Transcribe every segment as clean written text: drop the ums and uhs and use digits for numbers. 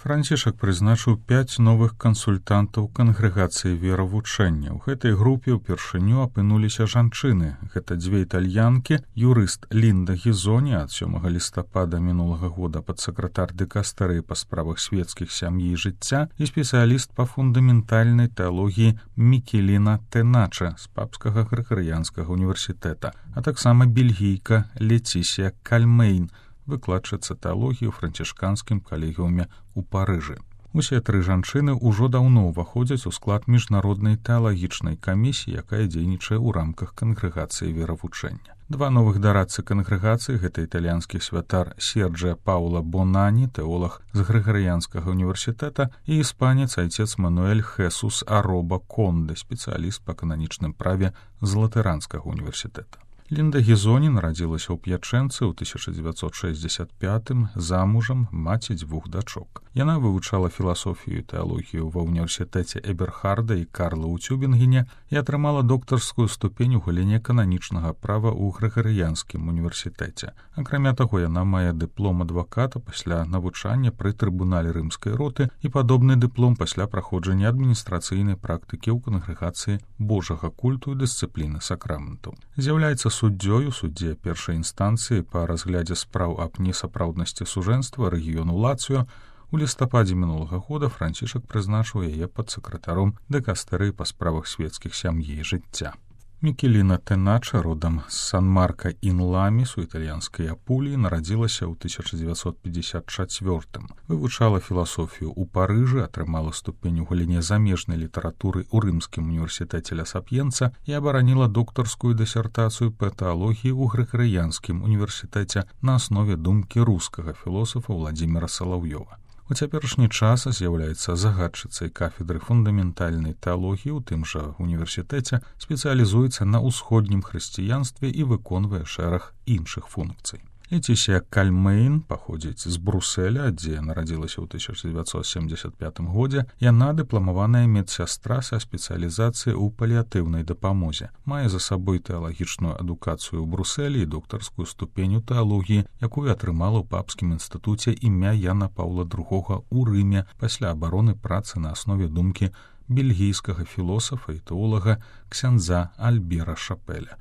Францішак прызначыў 5 новых кансультантаў кангрэгацыі веравучэння. У гэтай групе ўпершыню апынуліся жанчыны. Гэта 2 італьянкі, юрыст Лінда Гізоні ад 7 лістапада мінулага года падсакратар дыкастэрыі па справах светскіх сям'і і жыцця і спецыяліст па фундаментальнай тэалогіі Мікеліна Тэнача з папскага грыгарыянскага універсітэта, а таксама бельгійка Лецісія Кальмейн, выкладчыца тэалогіі ў францішканскім калегіуме ў Парыжы. Усе 3 жанчыны ўжо даўно ўваходзяць у склад міжнароднай тэалагічнай камісіі, якая дзейнічае ў рамках кангрэгацыі веравучэння. 2 новых дарадцы кангрэгацыі — гэта італьянскі святар Серджа Паула Бонані, тэолаг з грыгарыянскага універсітэта, і іспанец айцец Мануэль Хесус Ароба Конде, спецыяліст па кананічным праве з латыранскага універсітэта. Лінда Гізоні нарадзілася ў П'ячэнцы ў 1965-м, замужам, маці 2 дачок. Яна вывучала філасофію і тэалогію ва ўніверсітэце Эберхарда і Карла ў Цюбінгене і атрымала доктарскую ступень у галіне кананічнага права ў грыгарыянскім універсітэце. Акрамя таго, яна мае дыплом адваката пасля навучання пры трыбунале рымскай роты і падобны дыплом пасля праходжання адміністрацыйнай практыкі ў кангрэгацыі Божага культу і дысцыпліны сакраментаў. З'яўляецца суддзёю, суддзе першай інстанцыі па разглядзе спраў аб несапраўднасці сужэнства рэгіёну Лацыё. У лістападзе мінулага года Францішак прызначыў яе падсакратаром дыкастэрыі па справах светскіх сям'і і жыцця. Мікеліна Тэнача, родам з Сан-Марка-ін-Ламіс у італьянскай Апуліі, нарадзілася ў 1954-м. Вывучала філасофію ў Парыжы, атрымала ступень у галіне замежнай літаратуры ў рымскім універсітэце Ля Сап'енца і абараніла доктарскую дысертацыю па тэалогіі ў грыгарыянскім універсітэце на аснове думкі рускага філосафа Владзіміра Салаўёва. У цяперашні час з'яўляецца загадчыцай кафедры фундаментальнай тэалогіі ў тым жа універсітэце, спецыялізуецца на ўсходнім хрысціянстве і выконвае шэраг іншых функцый. Лецісія Кальмейн паходзіць з Бруселя, дзе нарадзілася ў 1975 годзе. Яна дыпламаваная медсястра са спецыялізацыяй у паліатыўнай дапамозе. Мае за сабой тэалагічную адукацыю ў Брусэлі і доктарскую ступень у тэалогіі, якую атрымала ў папскім інстытуце імя Яна Паўла II ў Рыме пасля абароны працы на аснове думкі бельгійскага філосафа і тэолага ксяндза Альбера Шапеля.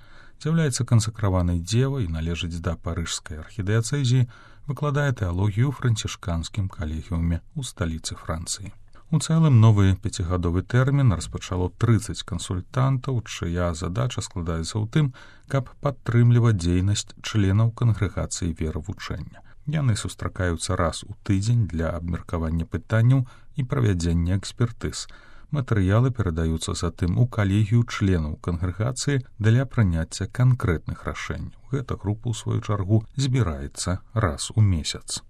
З'яўляецца кансакраванай дзевай і належыць да парыжскай архідыяцэзіі, выкладае тэалогію ў францішканскім калегіуме ў сталіцы Францыі. У цэлым новы 5-гадовы тэрмін распачало 30 кансультантаў, чыя задача складаецца ў тым, каб падтрымліваць дзейнасць членаў кангрэгацыі веравучэння. Яны сустракаюцца раз у тыдзень для абмеркавання пытанняў і правядзення экспертыз. Матэрыялы перадаюцца затым у калегію членаў кангрэгацыі для прыняцця канкрэтных рашэнняў. Гэта група, у сваю чаргу, збіраецца раз у месяц.